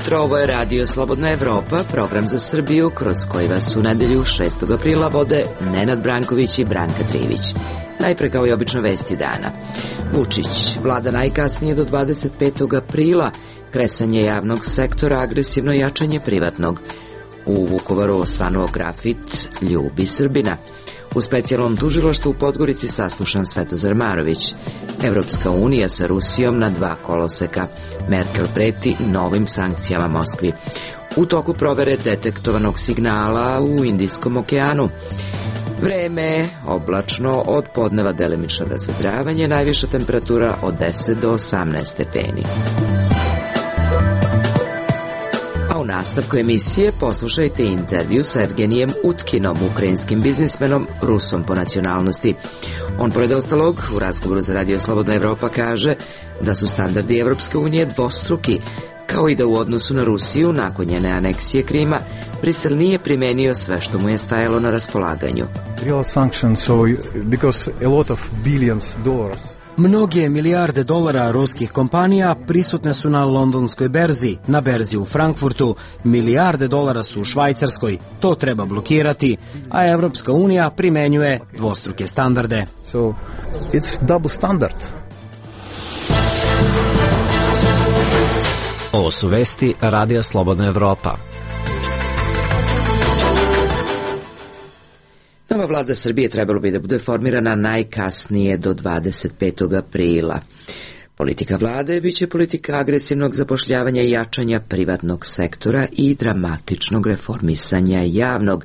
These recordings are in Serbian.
jutro, ovo je Radio Slobodna Evropa, program za Srbiju, kroz koji vas u nedelju 6. aprila vode Nenad Branković i Branka Trivić. Najpre kao i obično vesti dana. Vučić, vlada najkasnije do 25. aprila, kresanje javnog sektora, agresivno jačanje privatnog. U Vukovaru osvanuo grafit Ljubi Srbina. U specijalnom tužilaštvu u Podgorici saslušan Svetozar Marović. Evropska unija sa Rusijom na 2 koloseka. Merkel preti novim sankcijama Moskvi. U toku provere detektovanog signala u Indijskom okeanu. Vreme oblačno, od podneva delimično razvedravanje, najviša temperatura od 10 do 18 stepeni. A u nastavku emisije poslušajte intervju sa Evgenijem Utkinom, ukrajinskim biznismenom, Rusom po nacionalnosti. On, pored ostalog, u razgovoru za Radio Slobodna Evropa kaže da su standardi Evropske unije dvostruki, kao i da u odnosu na Rusiju, nakon njene aneksije Krima, Brisel nije primenio sve što mu je stajalo na raspolaganju. Mnoge milijarde dolara ruskih kompanija prisutne su na londonskoj berzi, na berzi u Frankfurtu, milijarde dolara su u Švajcarskoj, to treba blokirati, a Evropska unija primenjuje dvostruke standarde. So, it's double standard. Ovo su vesti Radija Slobodna Evropa. Nova vlada Srbije trebalo bi da bude formirana najkasnije do 25. aprila. Politika vlade biće politika agresivnog zapošljavanja i jačanja privatnog sektora i dramatičnog reformisanja javnog,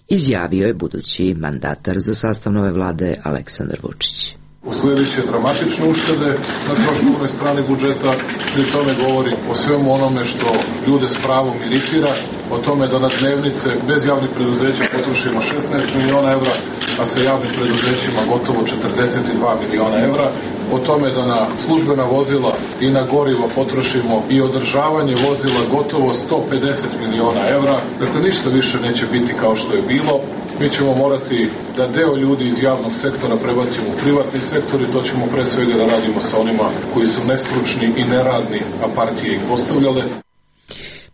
izjavio je budući mandatar za sastav nove vlade Aleksandar Vučić. Sljedeće dramatične uštede na troškovnoj strani budžeta, pri tome govori o svemu onome što ljude s pravom iritira, o tome da na dnevnice bez javnih preduzeća potrošimo 16 miliona evra, a sa javnim preduzećima gotovo 42 miliona evra, o tome da na službena vozila i na gorivo potrošimo i održavanje vozila gotovo 150 miliona evra. Dakle, ništa više neće biti kao što je bilo. Mi ćemo morati da deo ljudi iz javnog sektora prebacimo u privatni sektor i to ćemo pre svega da radimo sa onima koji su nestručni i neradni, a partije ih postavljale.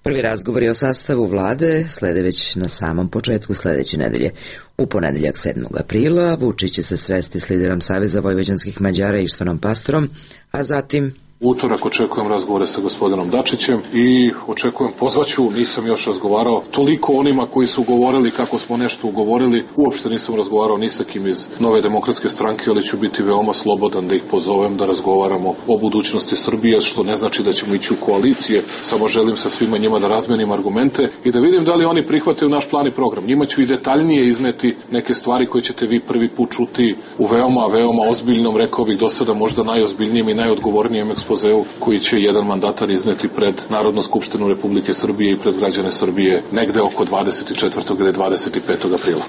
Prvi razgovori o sastavu vlade slede već na samom početku sledeće nedelje. U ponedeljak 7. aprila Vučić će se sresti s liderom Saveza vojvođanskih Mađara Ištvanom Pastorom, a zatim Utorak očekujem razgovore sa gospodinom Dačićem i očekujem, pozvaću, nisam još razgovarao toliko onima koji su govorili kako smo nešto ugovorili, uopšte nisam razgovarao ni sa kim iz Nove demokratske stranke, ali ću biti veoma slobodan da ih pozovem da razgovaramo o budućnosti Srbije, što ne znači da ćemo ići u koalicije, samo želim sa svima njima da razmenim argumente i da vidim da li oni prihvataju naš plan i program. Njima ću i detaljnije izneti neke stvari koje ćete vi prvi put čuti u veoma ozbiljnom, rekao bih do sada možda najozbiljnijem i najodgovornijem ekspozeu koji će jedan mandatar izneti pred Narodnu skupštinu Republike Srbije i pred građane Srbije negde oko 24. ili 25. aprila.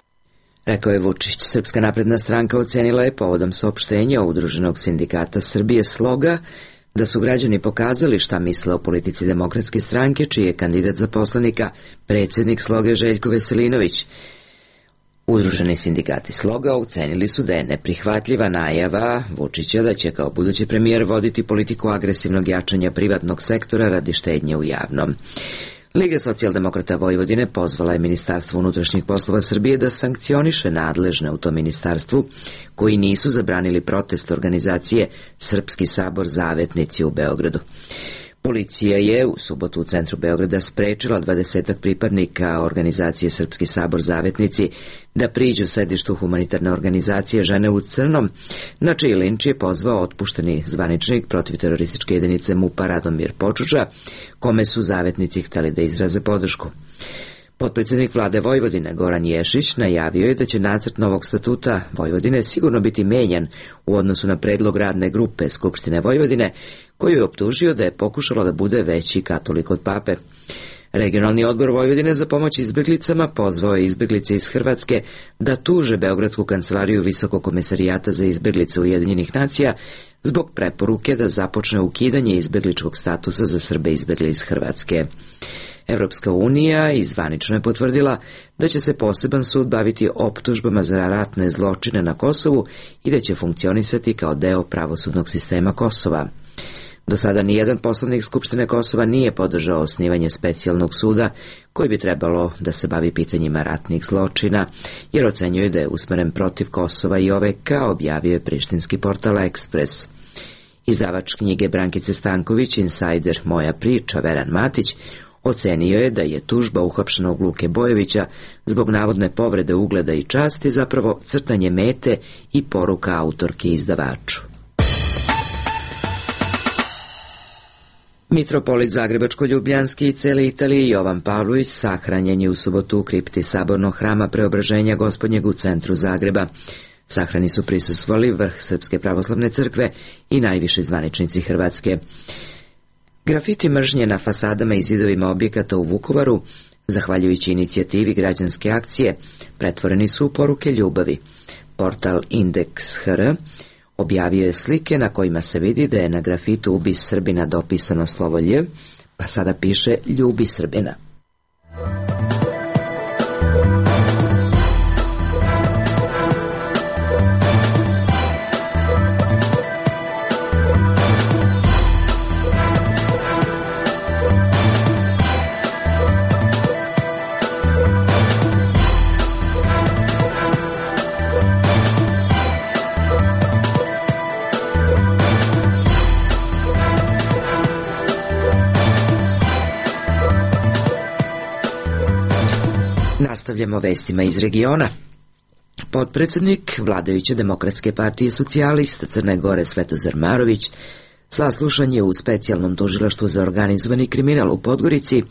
Rekao je Vučić. Srpska napredna stranka ocenila je povodom saopštenja Udruženog sindikata Srbije Sloga da su građani pokazali šta misle o politici Demokratske stranke, čiji je kandidat za poslanika predsjednik Sloge Željko Veselinović. Udruženi sindikati Sloga ocenili su da je neprihvatljiva najava Vučića da će kao budući premijer voditi politiku agresivnog jačanja privatnog sektora radi štednje u javnom. Liga socijaldemokrata Vojvodine pozvala je Ministarstvo unutrašnjih poslova Srbije da sankcioniše nadležne u tom ministarstvu koji nisu zabranili protest organizacije Srpski sabor Zavetnici u Beogradu. Policija je u subotu u centru Beograda sprečila 20 pripadnika organizacije Srpski sabor Zavetnici da priđu sedištu humanitarne organizacije Žene u crnom, na čiji linč je pozvao otpušteni zvaničnik protivterorističke jedinice MUP-a Radomir Počuča, kome su Zavetnici hteli da izraze podršku. Potpredsjednik vlade Vojvodine Goran Ješić najavio je da će nacrt novog statuta Vojvodine sigurno biti menjan u odnosu na predlog radne grupe Skupštine Vojvodine, koju je optužio da je pokušalo da bude veći katolik od pape. Regionalni odbor Vojvodine za pomoć izbjeglicama pozvao je izbjeglice iz Hrvatske da tuže Beogradsku kancelariju Visokog komesarijata za izbjeglice Ujedinjenih nacija zbog preporuke da započne ukidanje izbjegličkog statusa za Srbe izbjegli iz Hrvatske. Evropska unija zvanično je potvrdila da će se poseban sud baviti optužbama za ratne zločine na Kosovu i da će funkcionisati kao deo pravosudnog sistema Kosova. Do sada nijedan poslanik Skupštine Kosova nije podržao osnivanje specijalnog suda koji bi trebalo da se bavi pitanjima ratnih zločina, jer ocenjuje da je usmeren protiv Kosova i OVK, objavio je prištinski portal Express. Izdavač knjige Brankice Stanković, insajder Moja priča, Veran Matić, ocenio je da je tužba uhapšenog Luke Bojovića zbog navodne povrede ugleda i časti zapravo crtanje mete i poruka autorki izdavaču. Mitropolit Zagrebačko-Ljubljanski i cele Italije Jovan Pavlović sahranjen je u subotu u kripti Sabornog hrama Preobraženja Gospodnjeg u centru Zagreba. Sahrani su prisustvovali vrh Srpske pravoslavne crkve i najviši zvaničnici Hrvatske. Grafiti mržnje na fasadama i zidovima objekata u Vukovaru, zahvaljujući inicijativi građanske akcije, pretvoreni su u poruke ljubavi. Portal Indeks.hr objavio je slike na kojima se vidi da je na grafitu "Ubi Srbina" dopisano slovo Lj, pa sada piše "Ljubi Srbina". Nastavljamo vestima iz regiona. Potpredsednik vladajuće Demokratske partije socijalista Crne Gore Svetozar Marović saslušan je u specijalnom tužilaštvu za organizovani kriminal u Podgorici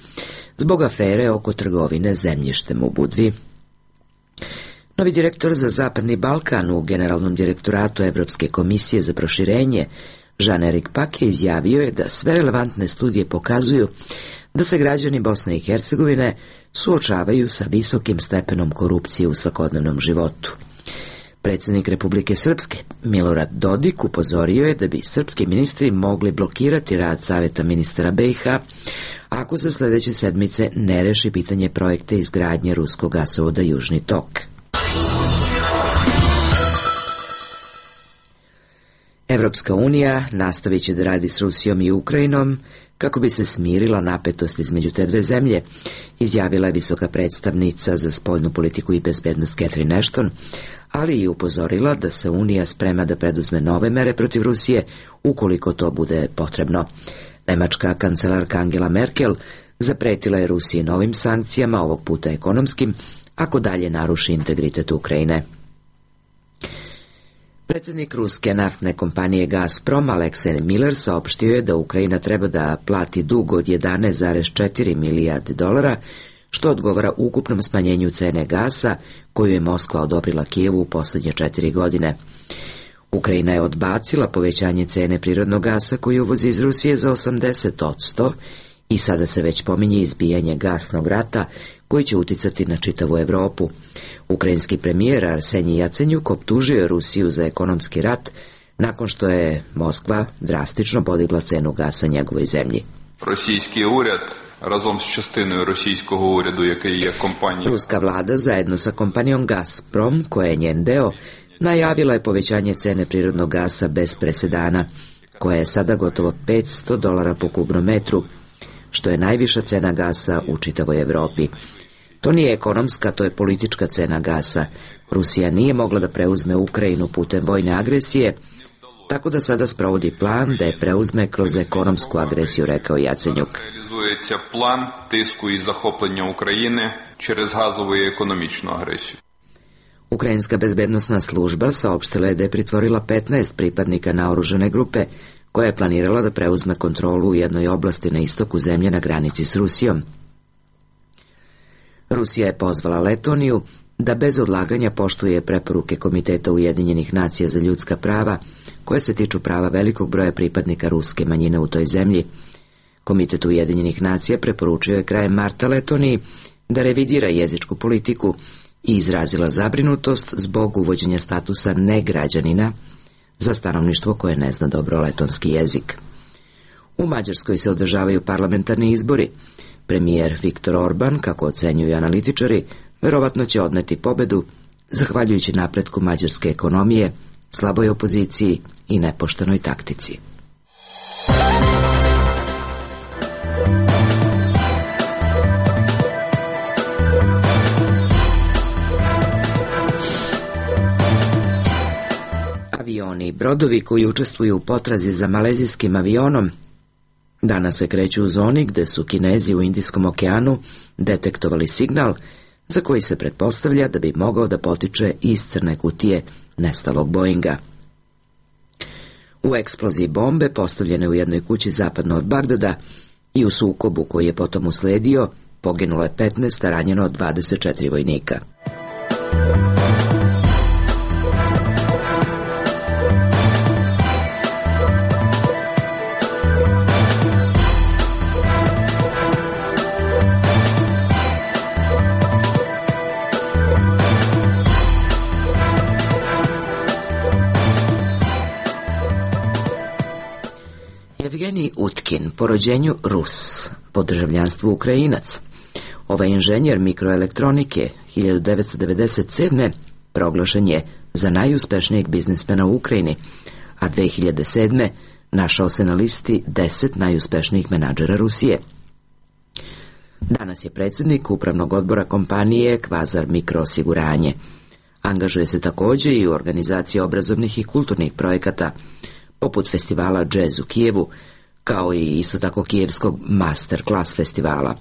zbog afere oko trgovine zemljištem u Budvi. Novi direktor za Zapadni Balkan u Generalnom direktoratu Evropske komisije za proširenje Jean-Éric Paquet izjavio je da sve relevantne studije pokazuju da se građani Bosne i Hercegovine suočavaju sa visokim stepenom korupcije u svakodnevnom životu. Predsjednik Republike Srpske, Milorad Dodik, upozorio je da bi srpski ministri mogli blokirati rad Saveta ministara BiH ako se sljedeće sedmice ne reši pitanje projekta izgradnje ruskog gasovoda Južni tok. Evropska unija nastavit će da radi s Rusijom i Ukrajinom kako bi se smirila napetost između te dve zemlje, izjavila je visoka predstavnica za spoljnu politiku i bezbednost Catherine Ashton, ali i upozorila da se Unija sprema da preduzme nove mere protiv Rusije ukoliko to bude potrebno. Nemačka kancelarka Angela Merkel zapretila je Rusiji novim sankcijama, ovog puta ekonomskim, ako dalje naruši integritet Ukrajine. Predsjednik ruske naftne kompanije Gazprom Aleksej Miller saopštio je da Ukrajina treba da plati dug od 11,4 milijarde dolara, što odgovara ukupnom smanjenju cene gasa koju je Moskva odobrila Kijevu u posljednje 4 godine. Ukrajina je odbacila povećanje cene prirodnog gasa koji uvozi iz Rusije za 80% i sada se već pominje izbijanje gasnog rata koji će uticati na čitavu Evropu. Ukrajinski premijer Arsenij Jacenjuk optužio je Rusiju za ekonomski rat nakon što je Moskva drastično podigla cenu gasa njegovoj zemlji. Ruska vlada zajedno sa kompanijom Gazprom, koja je njen deo, najavila je povećanje cene prirodnog gasa bez presedana, koja je sada gotovo $500 po kubnom metru, što je najviša cena gasa u čitavoj Evropi. To nije ekonomska, to je politička cena gasa. Rusija nije mogla da preuzme Ukrajinu putem vojne agresije, tako da sada sprovodi plan da je preuzme kroz ekonomsku agresiju, rekao Jacenjuk. Realizuje plan tisku i zahopljenja Ukrajine через газову i ekonomičnu agresiju. Ukrajinska bezbednosna služba saopštila je da je pritvorila 15 pripadnika naoružane grupe koja je planirala da preuzme kontrolu u jednoj oblasti na istoku zemlje na granici s Rusijom. Rusija je pozvala Letoniju da bez odlaganja poštuje preporuke Komiteta Ujedinjenih nacija za ljudska prava, koje se tiču prava velikog broja pripadnika ruske manjine u toj zemlji. Komitet Ujedinjenih nacija preporučio je krajem marta Letoniji da revidira jezičku politiku i izrazila zabrinutost zbog uvođenja statusa negrađanina za stanovništvo koje ne zna dobro letonski jezik. U Mađarskoj se održavaju parlamentarni izbori. Premijer Viktor Orban, kako ocenjuju analitičari, verovatno će odneti pobedu zahvaljujući napretku mađarske ekonomije, slaboj opoziciji i nepoštenoj taktici. Avioni i brodovi koji učestvuju u potrazi za malezijskim avionom danas se kreću u zoni gde su Kinezi u Indijskom okeanu detektovali signal za koji se pretpostavlja da bi mogao da potiče iz crne kutije nestalog Boeinga. U eksploziji bombe postavljene u jednoj kući zapadno od Bagdada i u sukobu koji je potom usledio poginulo je 15, a ranjeno 24 vojnika. Evgenij Utkin, po rođenju Rus, po državljanstvu Ukrajinac. Ovaj inženjer mikroelektronike 1997. proglašen je za najuspešnijeg biznismena u Ukrajini, a 2007. našao se na listi 10 najuspešnijih menadžera Rusije. Danas je predsjednik upravnog odbora kompanije Kvazar Mikroosiguranje. Angažuje se također i u organizaciji obrazovnih i kulturnih projekata, poput festivala Jazz u Kijevu, kao i isto tako kijevskog Master Class festivala.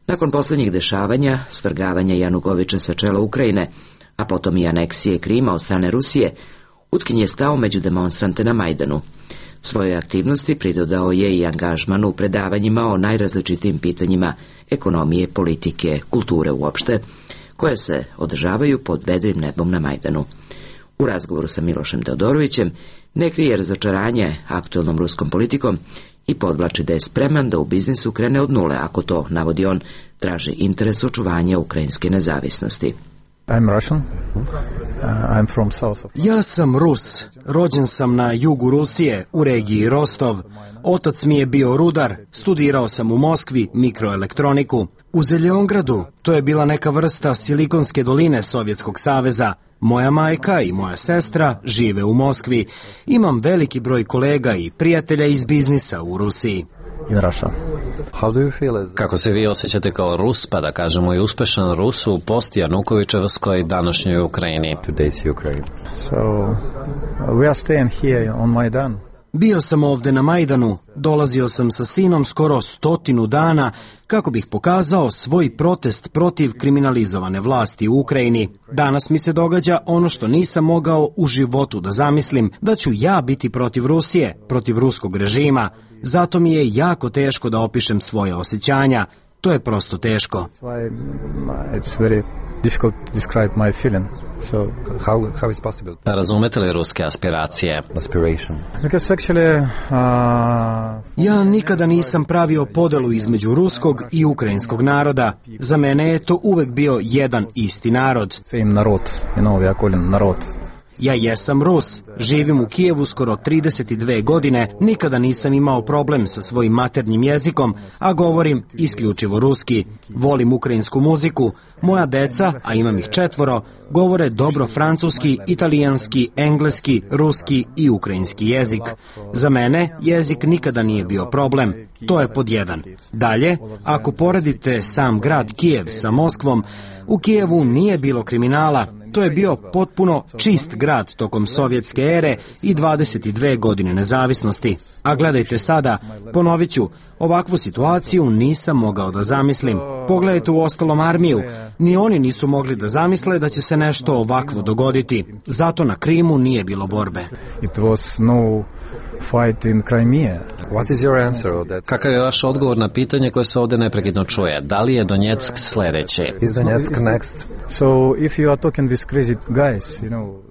Nakon posljednjih dešavanja, svrgavanja Janukovića sa čela Ukrajine, a potom i aneksije Krima od strane Rusije, Utkin je stao među demonstrante na Majdanu. Svojoj aktivnosti pridodao je i angažman u predavanjima o najrazličitijim pitanjima ekonomije, politike, kulture uopšte, koje se održavaju pod vedrim nebom na Majdanu. U razgovoru sa Milošem Teodorovićem ne krije razočaranje aktuelnom ruskom politikom i podvlači da je spreman da u biznisu krene od nule, ako to, navodi on, traži interes očuvanja ukrajinske nezavisnosti. Ja sam Rus. Rođen sam na jugu Rusije, u regiji Rostov. Otac mi je bio rudar, studirao sam u Moskvi mikroelektroniku. U Zeljongradu, to je bila neka vrsta Silikonske doline Sovjetskog saveza. Moja majka i moja sestra žive u Moskvi. Imam veliki broj kolega i prijatelja iz biznisa u Rusiji. Kako se vi osjećate kao Rus, pa da kažemo i uspešan Rus u post-Janukovičevskoj današnjoj Ukrajini? Bio sam ovde na Majdanu, dolazio sam sa sinom skoro 100 dana kako bih pokazao svoj protest protiv kriminalizovane vlasti u Ukrajini. Danas mi se događa ono što nisam mogao u životu da zamislim, da ću ja biti protiv Rusije, protiv ruskog režima. Zato mi je jako teško da opišem svoje osjećanja. To je prosto teško. Razumete li ruske aspiracije? Ja nikada nisam pravio podelu između ruskog i ukrajinskog naroda. Za mene je to uvek bio jedan isti narod. Ja jesam Rus, živim u Kijevu skoro 32 godine, nikada nisam imao problem sa svojim maternjim jezikom, a govorim isključivo ruski. Volim ukrajinsku muziku, moja deca, a imam ih 4, govore dobro francuski, italijanski, engleski, ruski i ukrajinski jezik. Za mene jezik nikada nije bio problem, to je pod 1. Dalje, ako poredite sam grad Kijev sa Moskvom, u Kijevu nije bilo kriminala. To je bio potpuno čist grad tokom sovjetske ere i 22 godine nezavisnosti. A gledajte sada, ponovit ću, ovakvu situaciju nisam mogao da zamislim. Pogledajte u ostalom armiju, ni oni nisu mogli da zamisle da će se nešto ovakvo dogoditi. Zato na Krimu nije bilo borbe. Kakav je vaš odgovor na pitanje koje se ovdje neprekidno čuje? Da li je Donjeck sljedeći?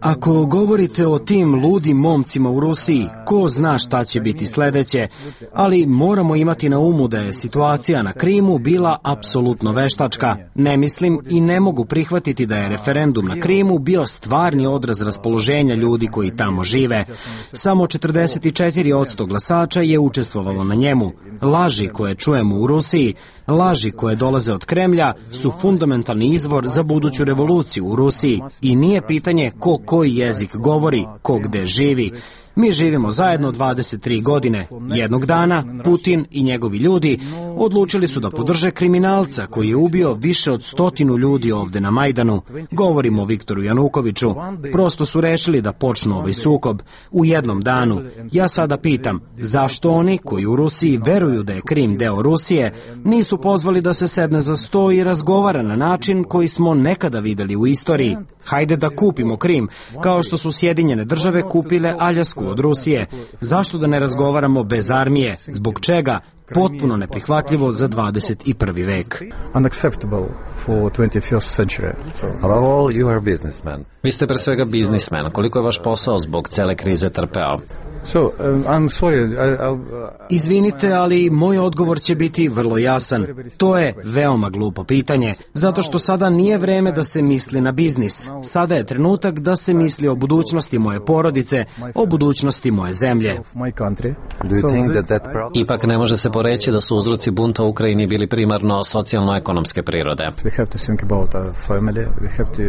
Ako govorite o tim ludim momcima u Rusiji, ko zna šta će biti sljedeće, ali moramo imati na umu da je situacija na Krimu bila apsolutno veštačka. Ne mislim i ne mogu prihvatiti da je referendum na Krimu bio stvarni odraz raspoloženja ljudi koji tamo žive. Samo 44% glasača je učestvovalo na njemu. Laži koje čujemo u Rusiji, laži koje dolaze od Kremlja su fundamentalni izvor za buduću revoluciju u Rusiji i nije pitanje ko koji jezik govori, ko gde živi. Mi živimo zajedno 23 godine. Jednog dana Putin i njegovi ljudi odlučili su da podrže kriminalca koji je ubio više od 100 ljudi ovde na Majdanu. Govorimo o Viktoru Janukoviću. Prosto su rešili da počnu ovaj sukob. U jednom danu. Ja sada pitam, zašto oni koji u Rusiji veruju da je Krim deo Rusije, nisu pozvali da se sedne za sto i razgovara na način koji smo nekada videli u istoriji? Hajde da kupimo Krim, kao što su Sjedinjene države kupile Aljasku od Rusije. Zašto da ne razgovaramo bez armije? Zbog čega? Potpuno neprihvatljivo za 21. vek. Unacceptable for 21st century. Above all, you are a businessman. Vi ste pre svega biznismen. Koliko je vaš posao zbog cele krize trpeo? So, I'm sorry, Izvinite, ali moj odgovor će biti vrlo jasan. To je veoma glupo pitanje, zato što sada nije vreme da se misli na biznis. Sada je trenutak da se misli o budućnosti moje porodice, o budućnosti moje zemlje. my country. Do you think that problem... Ipak ne može se poreći da su uzroci bunta u Ukrajini bili primarno socijalno-ekonomske prirode. We have to think about our family. We have to...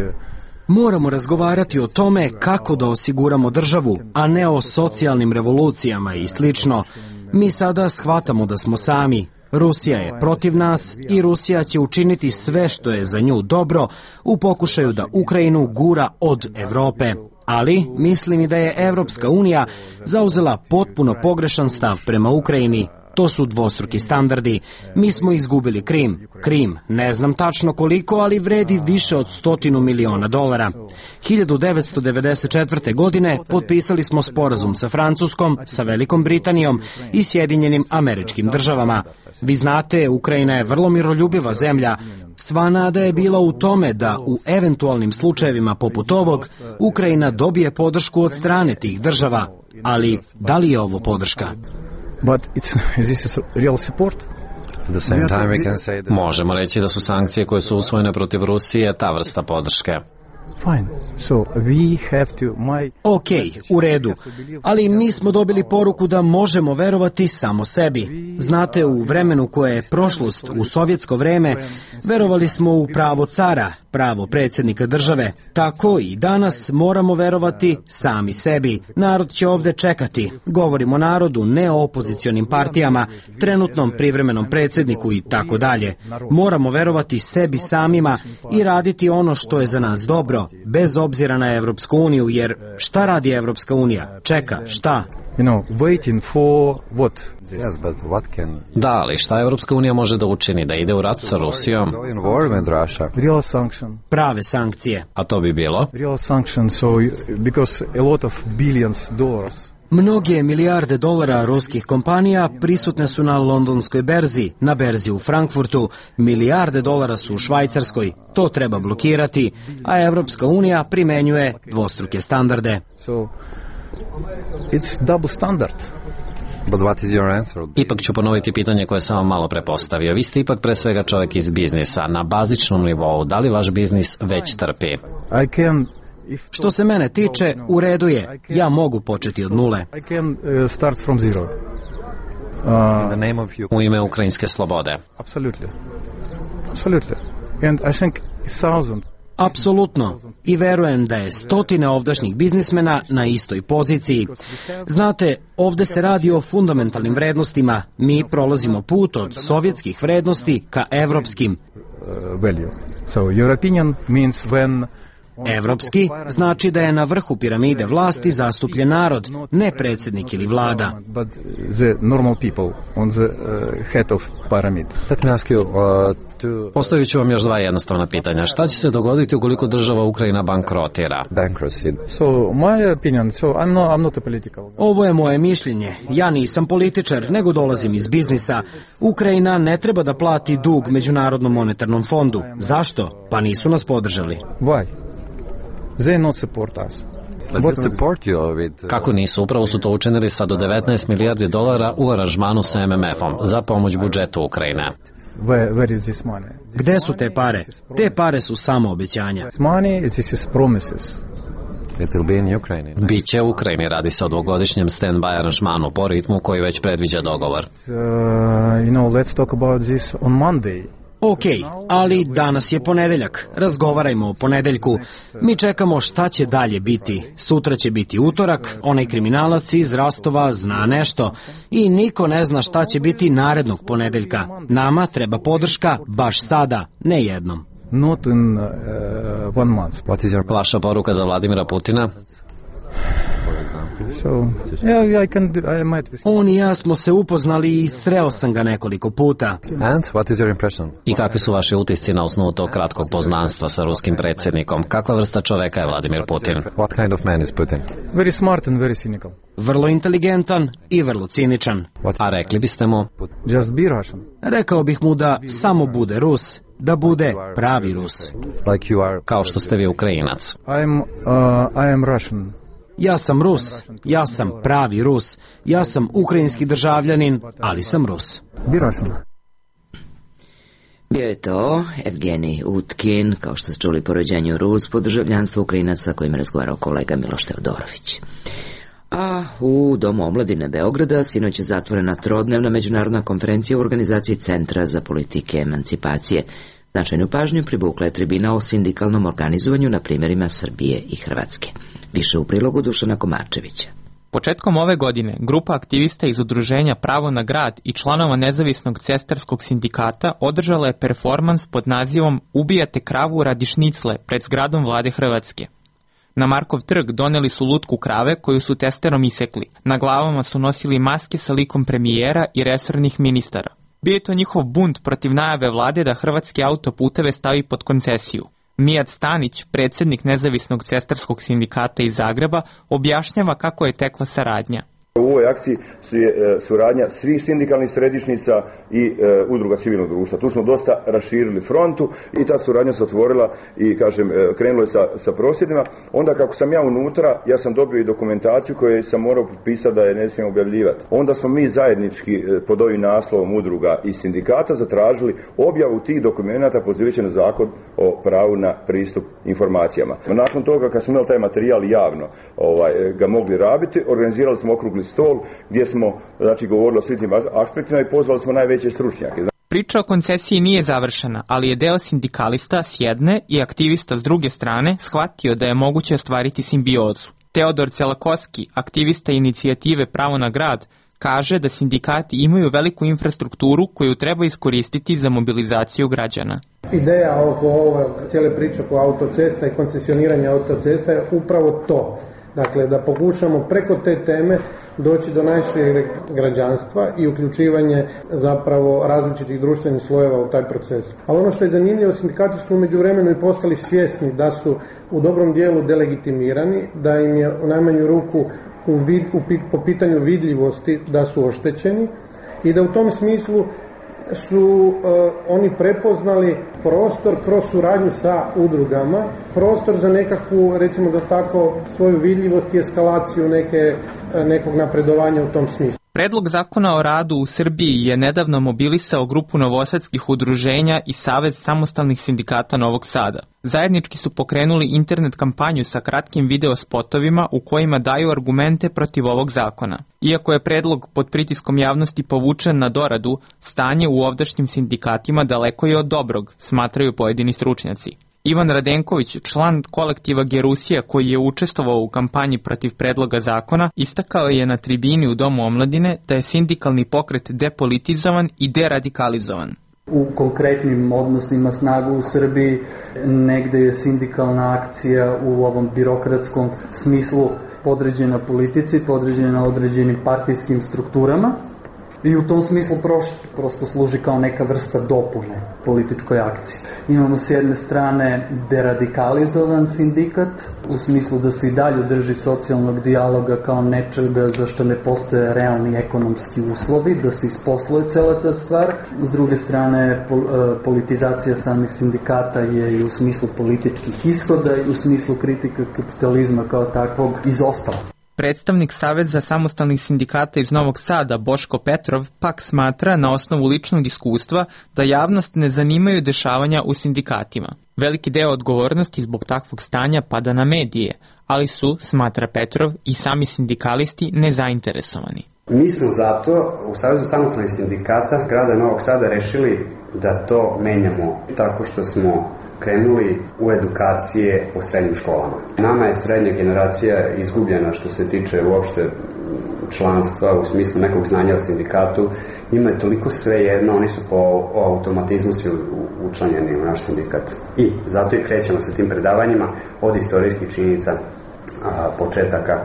Moramo razgovarati o tome kako da osiguramo državu, a ne o socijalnim revolucijama i slično. Mi sada shvatamo da smo sami. Rusija je protiv nas i Rusija će učiniti sve što je za nju dobro u pokušaju da Ukrajinu gura od Evrope. Ali mislim i da je Evropska unija zauzela potpuno pogrešan stav prema Ukrajini. To su dvostruki standardi. Mi smo izgubili Krim. Krim, ne znam tačno koliko, ali vredi više od $100 miliona. 1994. godine potpisali smo sporazum sa Francuskom, sa Velikom Britanijom i Sjedinjenim Američkim Državama. Vi znate, Ukrajina je vrlo miroljubiva zemlja. Sva nada je bila u tome da u eventualnim slučajevima poput ovog Ukrajina dobije podršku od strane tih država. Ali da li je ovo podrška? But this is real support. At the same time we can say that... Možemo reći da su sankcije koje su usvojene protiv Rusije ta vrsta podrške. Fine. So we have to... Ok, u redu. Ali mi smo dobili poruku da možemo verovati samo sebi. Znate, u vremenu koje je prošlost, u sovjetsko vreme, verovali smo u pravo cara, pravo predsjednika države. Tako i danas moramo verovati sami sebi. Narod će ovde čekati. Govorimo o narodu, ne o opozicionim partijama, trenutnom privremenom predsjedniku i tako dalje. Moramo verovati sebi samima i raditi ono što je za nas dobro, bez obzira na Evropsku uniju, jer šta radi Evropska unija? Čeka, šta? Waiting for what? Yes, but what can... Da, ali šta Evropska unija može da učini? Da ide u rat sa Rusijom? Go in war with Russia. Real sanction. Prave sankcije. A to bi bilo? Real sanction, so because a lot of billions dollars. Mnoge milijarde dolara ruskih kompanija prisutne su na londonskoj berzi, na berzi u Frankfurtu, milijarde dolara su u Švajcarskoj. To treba blokirati, a Evropska unija primenjuje dvostruke standarde. So it's double standard. But what is your answer? Ipak ću ponoviti pitanje koje sam vam malo prepostavio. Vi ste ipak pre svega čovjek iz biznisa. Na bazičnom nivou, da li vaš biznis već trpi? Što se mene tiče, u redu je. Ja mogu početi od nule. I can start from zero. In the name of you. U ime ukrajinske slobode. Absolutely. Absolutely. And I think 1,000. Apsolutno. I verujem da je stotine ovdašnjih biznismena na istoj poziciji. Znate, ovde se radi o fundamentalnim vrednostima. Mi prolazimo put od sovjetskih vrednosti ka evropskim. Value. So your opinion means when... Evropski znači da je na vrhu piramide vlasti zastupljen narod, ne predsjednik ili vlada. But the normal people on the head of pyramid. Let me ask you Postavit ću vam još dva jednostavna pitanja. Šta će se dogoditi ukoliko država Ukrajina bankrotira? bankruptcy. So my opinion, so I'm not a political guy. Ovo je moje mišljenje. Ja nisam političar, nego dolazim iz biznisa. Ukrajina ne treba da plati dug Međunarodnom monetarnom fondu. Zašto? Pa nisu nas podržali. Why? They not support us. But they support you with... Kako nisu? Upravo su to učinili sa do 19 milijardi dolara u aranžmanu sa MMF-om za pomoć budžetu Ukrajine. Where is this money? Gde su te pare? Te pare su samo obećanja. This money, this is promises. It will be in Ukraine. Biće u Ukrajini, radi se o dvogodišnjem stand-by aranžmanu po ritmu koji već predviđa dogovor. Let's talk about this on Monday. Ok, ali danas je ponedeljak, razgovarajmo o ponedeljku. Mi čekamo šta će dalje biti. Sutra će biti utorak, onaj kriminalac iz Rastova zna nešto i niko ne zna šta će biti narednog ponedeljka. Nama treba podrška baš sada, ne jednom. Not in 1 month. Vaša poruka za Vladimira Putina? So, yeah, I might... On i ja smo se upoznali i sreo sam ga nekoliko puta. And what is your impression? I kakvi su vaši utisci na osnovu tog kratkog poznanstva sa ruskim predsjednikom? Kakva vrsta čoveka je Vladimir Putin? What kind of man is Putin? Very smart and very cynical. Vrlo inteligentan i vrlo ciničan. A rekli biste mu? Just be Russian. Rekao bih mu da samo bude Rus, da bude pravi Rus. Like you are... Kao što ste vi Ukrajinac. I am Russian. Ja sam Rus, ja sam pravi Rus, ja sam ukrajinski državljanin, ali sam Rus. Be Russian. Bio je to Evgenij Utkin, kao što ste čuli po rođenju Rus, po državljanstvu Ukrajinaca, kojim je razgovarao kolega Miloš Teodorović. A u Domu omladine Beograda sinoć je zatvorena trodnevna međunarodna konferencija u organizaciji Centra za politike emancipacije. Značajnu pažnju privukla je tribina o sindikalnom organizovanju na primjerima Srbije i Hrvatske. Više u prilogu Dušana Komarčevića. Početkom ove godine, grupa aktivista iz udruženja Pravo na grad i članova nezavisnog cestarskog sindikata održala je performans pod nazivom Ubijate kravu radi šnicle pred zgradom vlade Hrvatske. Na Markov trg doneli su lutku krave koju su testerom isekli. Na glavama su nosili maske sa likom premijera i resornih ministara. Bio je to njihov bunt protiv najave vlade da hrvatske autoputeve stavi pod koncesiju. Mijat Stanić, predsjednik nezavisnog cestarskog sindikata iz Zagreba, objašnjava kako je tekla saradnja. U ovoj akciji je suradnja svih sindikalnih središnjica i udruga civilnog društva. Tu smo dosta raširili frontu i ta suradnja se otvorila i, kažem, krenulo je sa prosvjedima. Onda kako sam ja unutra, ja sam dobio i dokumentaciju koju sam morao potpisati da je ne smijem objavljivati. Onda smo mi zajednički pod ovim naslovom udruga i sindikata zatražili objavu tih dokumenata pozivajući na zakon o pravu na pristup informacijama. Nakon toga, kad smo imali taj materijal javno ga mogli rabiti, organizirali smo okrugli stol gdje smo, znači, govorili o svim tim aspektima i pozvali smo najveće stručnjake. Priča o koncesiji nije završena, ali je deo sindikalista s jedne i aktivista s druge strane shvatio da je moguće ostvariti simbiozu. Teodor Celakoski, aktivista inicijative Pravo na grad, kaže da sindikati imaju veliku infrastrukturu koju treba iskoristiti za mobilizaciju građana. Ideja oko ove cijele priče oko autocesta i koncesioniranja autocesta je upravo to. Dakle, da pokušamo preko te teme doći do najšireg građanstva i uključivanje zapravo različitih društvenih slojeva u taj proces. Ali ono što je zanimljivo, sindikati su u međuvremenu i postali svjesni da su u dobrom dijelu delegitimirani, da im je u najmanju ruku po pitanju vidljivosti da su oštećeni i da u tom smislu su oni prepoznali prostor kroz suradnju sa udrugama, prostor za nekakvu, recimo da tako, svoju vidljivost i eskalaciju nekog napredovanja u tom smislu. Predlog zakona o radu u Srbiji je nedavno mobilisao grupu novosadskih udruženja i Savez samostalnih sindikata Novog Sada. Zajednički su pokrenuli internet kampanju sa kratkim video spotovima u kojima daju argumente protiv ovog zakona. Iako je predlog pod pritiskom javnosti povučen na doradu, stanje u ovdašnjim sindikatima daleko je od dobrog, smatraju pojedini stručnjaci. Ivan Radenković, član kolektiva Gerusija koji je učestvovao u kampanji protiv predloga zakona, istakao je na tribini u Domu omladine da je sindikalni pokret depolitizovan i deradikalizovan. U konkretnim odnosima snagu u Srbiji negde je sindikalna akcija u ovom birokratskom smislu podređena politici, podređena određenim partijskim strukturama. I u tom smislu prosto služi kao neka vrsta dopune političkoj akciji. Imamo s jedne strane deradikalizovan sindikat, u smislu da se i dalje drži socijalnog dijaloga kao nečega za što ne postoje realni ekonomski uslovi, da se isposluje cela ta stvar. S druge strane, politizacija samih sindikata je i u smislu političkih ishoda i u smislu kritika kapitalizma kao takvog izostala. Predstavnik Saveza samostalnih sindikata iz Novog Sada, Boško Petrov, pak smatra na osnovu ličnog iskustva da javnost ne zanimaju dešavanja u sindikatima. Veliki deo odgovornosti zbog takvog stanja pada na medije, ali su, smatra Petrov, i sami sindikalisti nezainteresovani. Mi smo zato u Savezu samostalnih sindikata grada Novog Sada rešili da to menjamo tako što smo krenuli u edukacije po srednjim školama. Nama je srednja generacija izgubljena što se tiče uopšte članstva u smislu nekog znanja o sindikatu. Njima je toliko svejedno, oni su po automatizmu svi učlanjeni u naš sindikat. I zato i krećemo sa tim predavanjima od istorijskih činjenica, početaka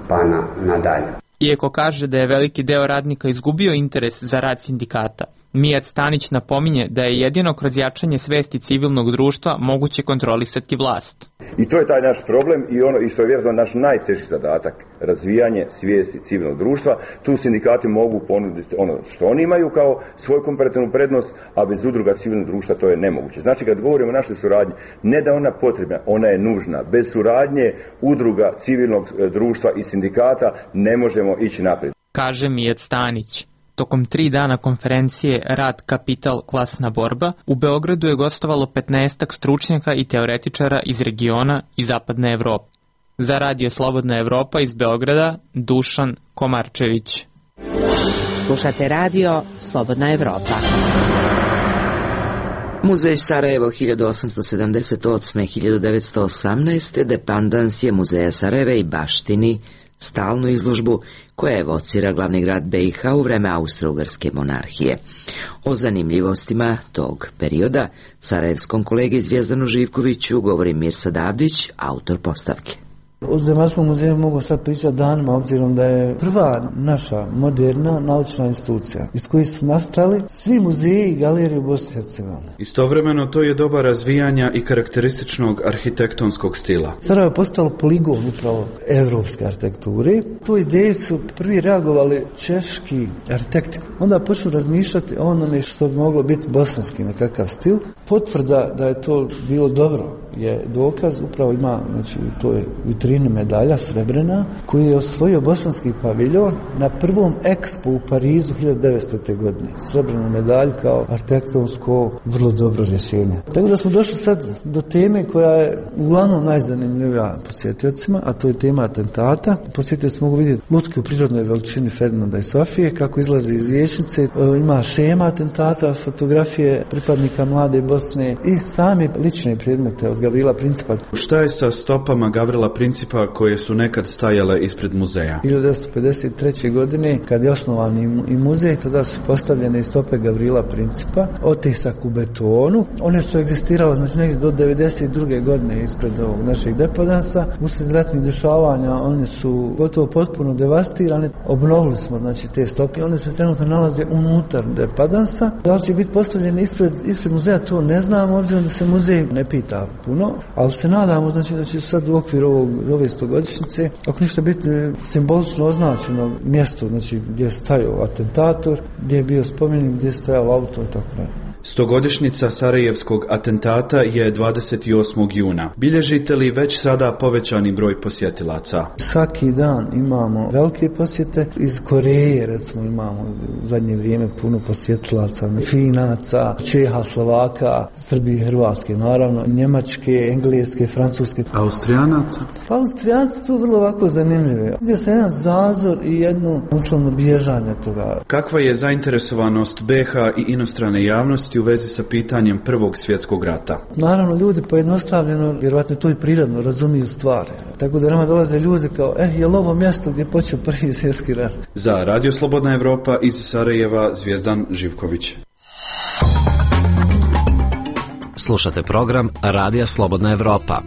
pa nadalje. Iako kaže da je veliki deo radnika izgubio interes za rad sindikata, Mijat Stanić napominje da je jedino kroz jačanje svesti civilnog društva moguće kontrolisati vlast. I to je taj naš problem i što je vjerojatno naš najteži zadatak, razvijanje svijesti civilnog društva. Tu sindikati mogu ponuditi ono što oni imaju kao svoju komparativnu prednost, a bez udruga civilnog društva to je nemoguće. Znači kad govorimo o našoj suradnji, ne da ona potrebna, ona je nužna. Bez suradnje udruga civilnog društva i sindikata ne možemo ići naprijed. Kaže Mijat Stanić. Tokom 3 dana konferencije Rad, kapital, klasna borba, u Beogradu je gostovalo 15 stručnjaka i teoretičara iz regiona i zapadne Evrope. Za Radio Slobodna Evropa iz Beograda, Dušan Komarčević. Slušate Radio Slobodna Evropa. Muzej Sarajevo 1878-1918. dependans je Muzeja Sarajeva i baštini stalnu izložbu koja evocira glavni grad BiH u vreme Austro-Ugarske monarhije. O zanimljivostima tog perioda sarajevskom kolegi Zvijezdanu Živkoviću govori Mirsad Abdić, autor postavke. O Zemaljskom muzeju mogu sad pričati danima, obzirom da je prva naša moderna naučna institucija iz kojih su nastali svi muzeji i galerije u Bosni i Hercegovini. Istovremeno to je doba razvijanja i karakterističnog arhitektonskog stila. Sarajevo je postalo poligon upravo evropske arhitekture. Tu ideju su prvi reagovali češki arhitekti. Onda počnu razmišljati o onome što bi moglo biti bosanski nekakav stil. Potvrda da je to bilo dobro je dokaz, upravo ima, znači to je vitrini medalja srebrena koju je osvojio bosanski paviljon na prvom ekspo u Parizu 1900. godine. Srebrenu medalju kao arhitektonsko vrlo dobro rješenje. Tako da smo došli sad do teme koja je uglavnom najzanimljivija posjetiocima, a to je tema atentata. Posjetioci mogu vidjeti lutke u prirodnoj veličini Ferdinanda i Sofije, kako izlazi iz vijećnice, ima šema atentata, fotografije pripadnika mlade Bosne i sami lične predmete od Gavrila Principa. Šta je sa stopama Gavrila Principa koje su nekad stajale ispred muzeja? 1953. godine, kad je osnovan i muzej, tada su postavljene stope Gavrila Principa, otisak u betonu. One su egzistirale znači negdje do 1992. godine ispred ovog našeg depodansa. Usred ratnih dešavanja one su gotovo potpuno devastirane. Obnovili smo znači te stope. One se trenutno nalaze unutar depodansa. Da li će biti postavljene ispred muzeja, to ne znamo, obzirom da se muzej ne pita puno, ali se nadamo znači da će sad u okviru ove 100-godišnjice ako ništa biti simbolično označeno mjesto znači gdje je stajao atentator, gdje je bio spomenik, gdje je stajao auto i tako dalje. 100-godišnjica Sarajevskog atentata je 28. juna. Bilježite li već sada povećani broj posjetilaca? Svaki dan imamo velike posjete. Iz Koreje recimo imamo u zadnje vrijeme puno posjetilaca, Finaca, Čeha, Slovaka, Srbije, Hrvatske naravno, Njemačke, Engleske, Francuske. Austrijanaca? Pa Austrijanci su vrlo ovako zanimljivi. Gdje se jedan zazor i jedno uslovno bježanje toga. Kakva je zainteresovanost BiH i inostrane javnosti u vezi sa pitanjem Prvog svjetskog rata? Naravno, ljudi pojednostavljeno, vjerovatno to i prirodno, razumiju stvari. Tako da nama dolaze ljudi kao, je li ovo mjesto gdje počeo Prvi svjetski rat? Za Radio Slobodna Evropa iz Sarajeva, Zvijezdan Živković. Slušate program Radija Slobodna Evropa.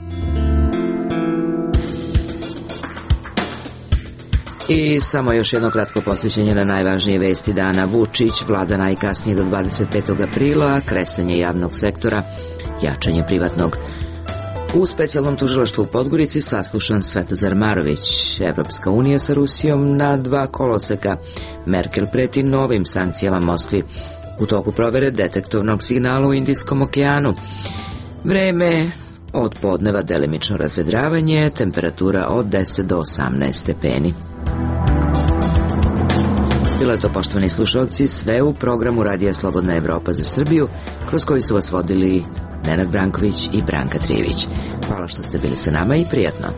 I samo još jedno kratko posjećenje na najvažnije vesti dana. Vučić, vlada najkasnije do 25. aprila, kresanje javnog sektora, jačanje privatnog. U specijalnom tužilaštvu u Podgorici saslušan Svetozar Marović. Evropska unija sa Rusijom na 2 koloseka. Merkel preti novim sankcijama Moskvi. U toku provere detektovnog signala u Indijskom okeanu. Vreme od podneva delimično razvedravanje, temperatura od 10 do 18 stepeni. Bilo je to, poštovani slušalci, sve u programu Radija Slobodna Evropa za Srbiju, kroz koji su vas vodili Nenad Branković i Branka Trijević. Hvala što ste bili sa nama i prijatno.